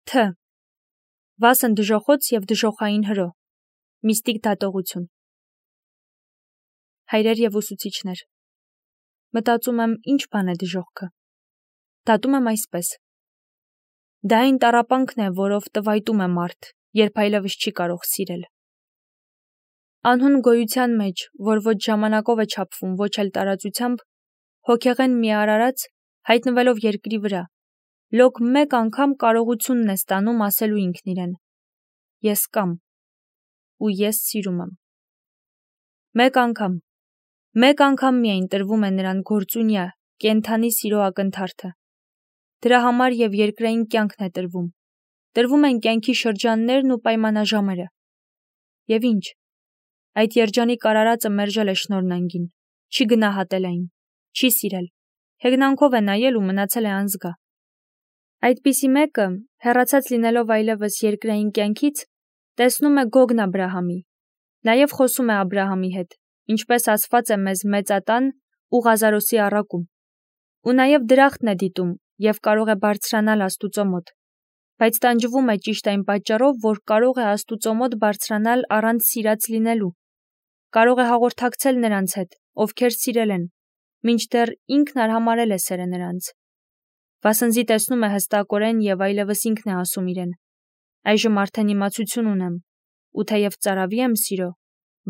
Თ. Վասն դժոխոց և դժոխային հրո, միստիկ դատողություն։ Հայրեր և ուսուցիչներ, մտածում եմ ինչ բան է դժոխքը, դատում եմ այսպես. դա այն տառապանքն է, որով տվայտում է մարդ, երբ այլևս չի կարող սիրել։ Անհուն գոյության մեջ, որ ոչ ժամանակով է չափվում, ոչ էլ տարածությամբ, հոգեղեն մի արարած, հայտնվելով երկրի վրա, լոկ մեկ անգամ կարողությունն է ստանում ասելու ինքն իրեն. ես կամ, ու ես սիրում եմ։ Մեկ անգամ միայն տրվում է նրան գործունյա, կենդանի սիրո ակնթարթը։ Դրա համար և երկրային կյանքն է տրվում են կյանքի շրջաններն ու պայմանաժամերը։ Եվ ինչ, այդ երջանիկ արարածը մերժել է շնորհնանգին, չի գնահատել այն, չի սիրել, հեգնանքով է նայել ու մնացել է անզգա։ Այդպիսի մեկը, հեռացած լինելով այլևս երկրային կյանքից, տեսնում է Գոգն Աբրահամի, նաև խոսում է Աբրահամի հետ, ինչպես ասված է մեզ մեծատան ու Ղազարոսի առակում, ու նաև դրախտն է դիտում և կարող է բարձրանալ Աստուծո մոտ, բայց տանջվում է ճիշտ այն պատճառով, որ կարող է Աստուծո մոտ բարձրանալ առանց սիրած լինելու, կարող է հաղորդակցել նրանց հետ, ովքեր սիրել են, մինչդեռ ինքն արհամարհել է սերը նրանց։ Վասնզի տեսնում է հստակորեն և այլևս ինքն է ասում իրեն. այժմ արդեն իմացություն ունեմ, ու թեև ծարավի եմ սիրո,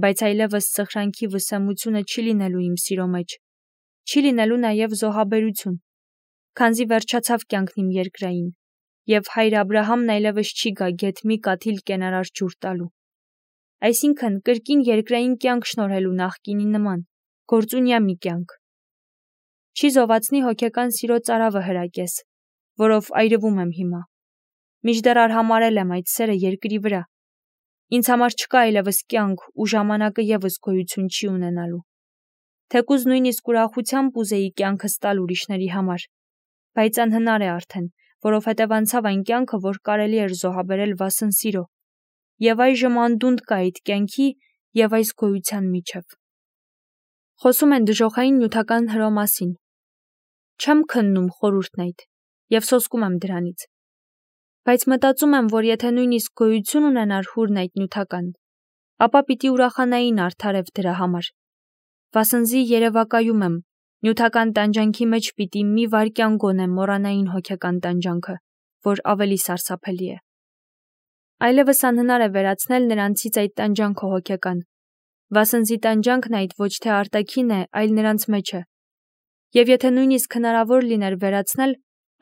բայց այլևս սխրանքի վսեմությունը չի լինելու իմ սիրո մեջ, չի լինելու նաև զոհաբերություն, քանզի վերջացավ կյանքն իմ երկրային, և հայր Աբրահամն այլևս չի գա գեթ մի կաթիլ կենարար ջուր տալու։ Այսինքն կրկին երկրային կյանք շնորհելու նախկինի նման, գործունյա մի կյանք։ Չի զովացնի հոգեկան սիրո ծարավը հրակես, որով այրվում եմ հիմա։ Մինչդեռ արհամարհել եմ այդ սերը երկրի վրա։ Ինձ համար չկա այլևս կյանք ու ժամանակը ևս գոյություն չի ունենալու։ Թեկուզ նույնիսկ ուրախությամբ ուզեի կյանքս տալ ուրիշների համար, բայց անհնար է արդեն, որովհետև անցավ այն կյանքը, որ կարելի էր զոհաբերել վասն սիրո, և այժմ անդունդ կա այդ կյանքի և այս գոյության միջև։ Խոսում են դժոխային նյութական հրո մասին։ Չեմ քննում խորհուրդն այդ և սոսկում եմ դրանից, բայց մտածում եմ, որ եթե նույնիսկ գոյություն ունենար հուրն այդ նյութական, ապա պիտի ուրախանային արդարև դրա համար, վասնզի երևակայում եմ, նյութական տանջանքի մեջ պիտի մի վայրկյան գոնե մոռանային հոգեկան տանջանքը, որ ավելի սարսափելի է։ Այլևս անհնար է վերացնել նրանցից այդ տանջանքը հոգեկան, վասնզի տանջանքն այդ ոչ թե արտաքին է, այլ նրանց մեջ է, և եթե նույնիսկ հնարավոր լիներ վերացնել,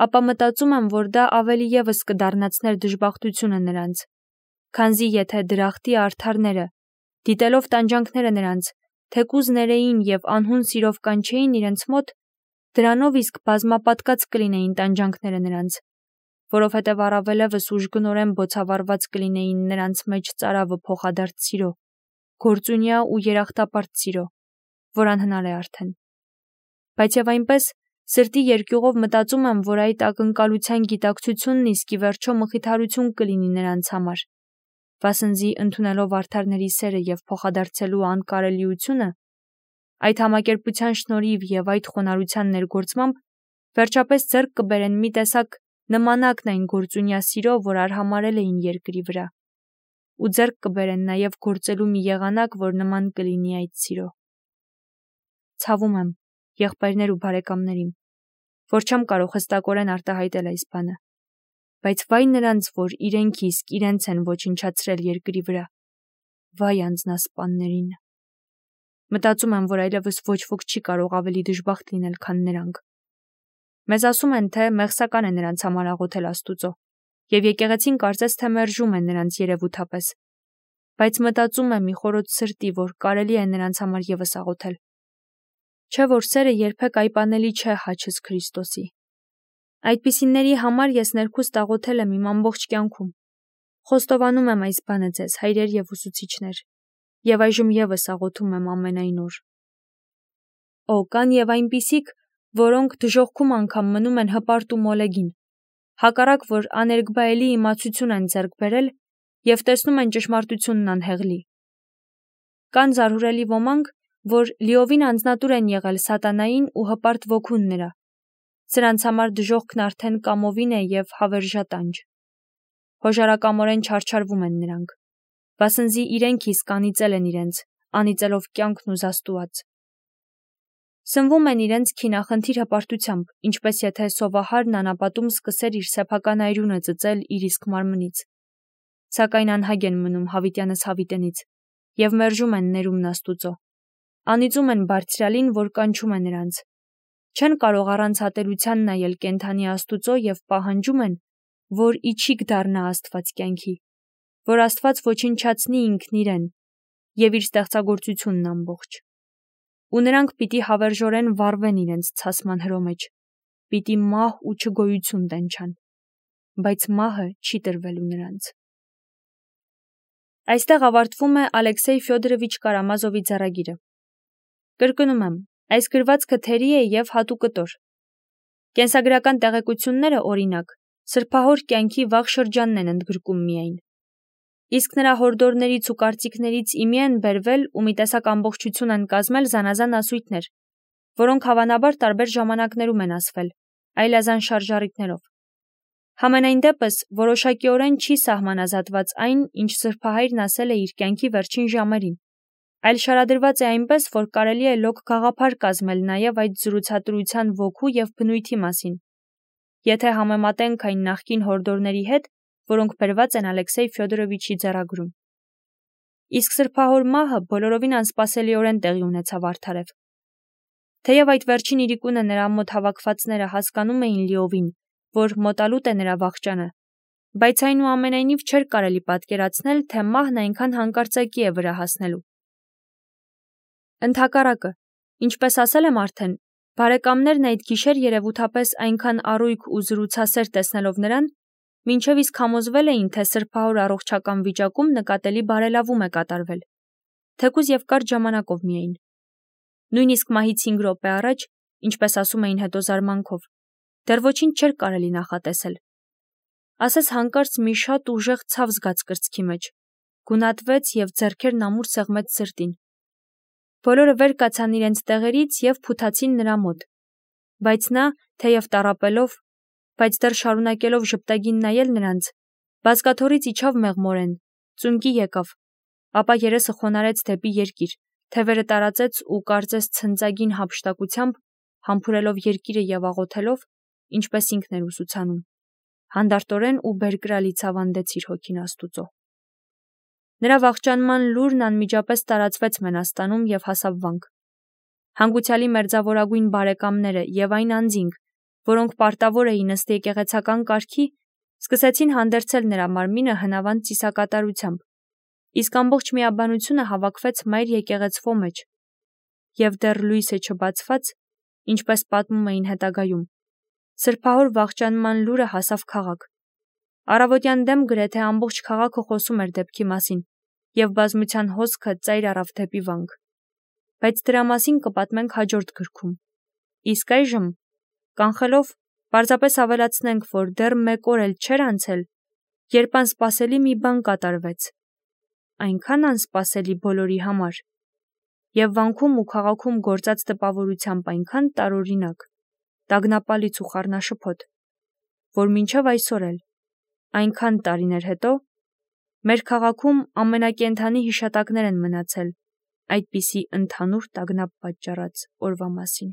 ապա մտածում եմ, որ դա ավելի ևս կդառնացներ դժբախտությունը նրանց, քանզի եթե դրախտի արդարները, դիտելով տանջանքները նրանց, թեկուզ ներեին և անհուն սիրով կանչեին իրենց մոտ, դրանով իսկ բազմապատկած կլինեին տանջանքները նրանց, որովհետև առավելևս ուժգնորեն բոցավառված կլինեին նրանց մեջ ծարավը փոխադարձ սիրո, գործունյա ու երախտապարտ սիրո, որ անհնար է արդեն։ Բայց և այնպես, սրտի երկյուղով մտածում եմ, որ այդ ակնկալության գիտակցությունն իսկ ի վերջո մխիթարություն կլինի նրանց համար, վասնզի ընդունելով արդարների սերը և փոխադարձելու անկարելիությունը, այդ համակերպության շնորհիվ և այդ խոնարհության ներգործմամբ, վերջապես ձեռք կբերեն մի տեսակ նմանակն այն գործունյա սիրո, որ արհամարհել էին երկրի վրա, ու ձեռք կբերեն նաև գործելու մի եղանակ, որ նման կլինի այդ սիրո։ Ցավում եմ, եղբայրներ ու բարեկամներ իմ, որ չեմ կարող հստակորեն արտահայտել այս բանը, բայց վայ նրանց, որ իրենք իսկ իրենց են ոչնչացրել երկրի վրա, վայ անձնասպաններին։ Մտածում եմ, որ այլևս ոչ ոք չի կարող ավելի դժբախտ լինել, քան նրանք։ Մեզ ասում են, թե մեղսական է նրանց համար աղոթել Աստուծո, և եկեղեցին կարծես թե մերժում է նրանց երևութապես, բայց մտածում եմ մի խորոց սրտի, որ կարելի է նրանց համար ևս աղոթել։ Չէ՞ որ սերը երբեք այպանելի չէ հաչս Քրիստոսի։ Այդպիսիների համար ես ներքուստ աղոթել եմ իմ ամբողջ կյանքում։ Խոստովանում եմ այս բանը ձեզ, հայրեր և ուսուցիչներ, և այժմ ևս աղոթում եմ ամենայն օր։ Օ, կան և այնպիսիք, որոնք դժոխքում անգամ մնում են հպարտ ու մոլեգին, հակառակ որ աներկբայելի իմացություն են ձեռք բերել և տեսնում են ճշմարտությունն անհեղլի։ Կան զարհուրելի ոմանք, որ լիովին անձնատուր են եղել սատանային ու հպարտ ոգուն նրա։ Սրանց համար դժոխքն արդեն կամովին է և հավերժատանջ։ հոժարակամորեն չարչարվում են նրանք, վասնզի իրենք իսկ անիծել են իրենց, անիծելով կյանքն ու զաստուած։ Սնվում են իրենց քինախնդիր հպարտությամբ, ինչպես եթե սովահարն անապատում սկսեր իր սեփական այրունը ծծել իր իսկ մարմնից։ Սակայն անհագ են մնում հավիտյանս հավիտենից և մերժում են ներումն Աստուծո։ Անիծում են Բարձրյալին, որ կանչում է նրանց։ Չեն կարող առանց ատելության նայել կենդանի Աստուծո և պահանջում են, որ իջիկ դառնա Աստված կյանքի, որ Աստված ոչնչացնի ինքն իրեն և իր ստեղծագործությունն ամբողջ։ Ու նրանք պիտի հավերժորեն վառվեն իրենց ցասման հրո մեջ, պիտի մահ ու չգոյություն տենչան, բայց մահը չի տրվելու նրանց։ Այստեղ ավարտվում է Ալեքսեյ Ֆյոդորովիչ Կարամազովի ձեռագիրը։ Կրկնում եմ, այս գրվածքը թերի է և հատուկտոր։ Կենսագրական տեղեկությունները, օրինակ, սրբահոր կյանքի վաղ շրջանն են ընդգրկում միայն։ Իսկ նրա հորդորներից ու կարծիքներից իմի են բերվել ու մի տեսակ ամբողջություն են կազմել զանազան ասույթներ, որոնք հավանաբար տարբեր ժամանակներում են ասվել, այլազան շարժառիթներով։ Համենայն դեպս, որոշակիորեն չի սահմանազատված այն, ինչ սրբահայրն ասել է իր կյանքի վերջին ժամերին, այլ շարադրված է այնպես, որ կարելի է լոկ գաղափար կազմել նաև այդ զրուցատրության ոգու և բնույթի մասին, եթե համեմատենք այն նախկին հորդորների հետ, որոնք բերված են Ալեքսեյ Ֆյոդորովիչի ձեռագրում։ Իսկ սրբահոր մահը բոլորովին անսպասելիորեն տեղի ունեցավ արդարև։ Թեև այդ վերջին իրիկունը նրա մոտ հավաքվածները հասկանում էին լիովին, որ մոտալուտ է նրա վախճանը, բայց այնուամենայնիվ չէր կարելի պատկերացնել, թե մահն այնքան հանկարծակի է վրա հասնելու։ Ընդհակառակը, ինչպես ասել եմ արդեն, բարեկամներն այդ գիշեր երևութապես այնքան առույգ ու զրուցասեր տեսնելով նրան, մինչև իսկ համոզվել էին, թե սրբահոր առողջական վիճակում նկատելի բարելավում է կատարվել, թեկուզ և կարճ ժամանակով միայն։ Նույնիսկ մահից 5 րոպե առաջ, ինչպես ասում էին հետո զարմանքով, դեռ ոչինչ չէր կարելի նախատեսել։ Ասես հանկարծ մի շատ ուժեղ ցավ զգաց կրծքի մեջ, գունատվեց և ձեռքերն ամուր սեղմեց սրտին։ Բոլորը վեր կացան իրենց տեղերից և փութացին նրա մոտ, բայց նա, թեև տառապելով, բայց դեռ շարունակելով ժպտագին նայել նրանց, բազկաթոռից իջավ մեղմորեն, ծունկի եկավ, ապա երեսը խոնարհեց դեպի երկիր, թևերը տարածեց ու կարծես ցնծագին հափշտակությամբ, համբուրելով երկիրը և աղոթելով, ինչպես ինքն էր ուսուցանում, հանդարտորեն ու բերկրալի ցավանդեց իր հոգին Աստուծո։ Նրա վախճանման լուրն անմիջապես տարածվեց Մենաստանում և հասավ վանք։ Հանգուցյալի մերձավորագույն բարեկամները և այն անձինք, որոնք պարտավոր էին ըստ եկեղեցական կարգի, սկսեցին հանդերձել նրա մարմինը հնավանդ ծիսակատարությամբ, իսկ ամբողջ միաբանությունը հավաքվեց մայր եկեղեցվո մեջ, և դեռ լույսը չբացված, ինչպես պատմում էին հետագայում, սրբահոր վախճանման լուրը հասավ քաղաք։ Առավոտյան դեմ գրեթե ամբողջ քաղաքը խոսում էր դեպքի մասին, և բազմության հոսքը ծայր առավ դեպի վանք։ Բայց դրա մասին կպատմենք հաջորդ գրքում։ Իսկ այժմ, կանխելով, պարզապես ավելացնենք, որ դեռ 1 օր էլ չէր անցել, երբ անսպասելի մի բան կատարվեց, այնքան անսպասելի բոլորի համար, և վանքում ու քաղաքում գործած տպավորությամբ այնքան տարօրինակ, տագնապալից ու խառնաշփոթ, որ մինչև այսօր էլ, այնքան տարիներ հետո, մեր քաղաքում ամենակենդանի հիշատակներ են մնացել այդպիսի ընդհանուր տագնապ պատճառած օրվա մասին։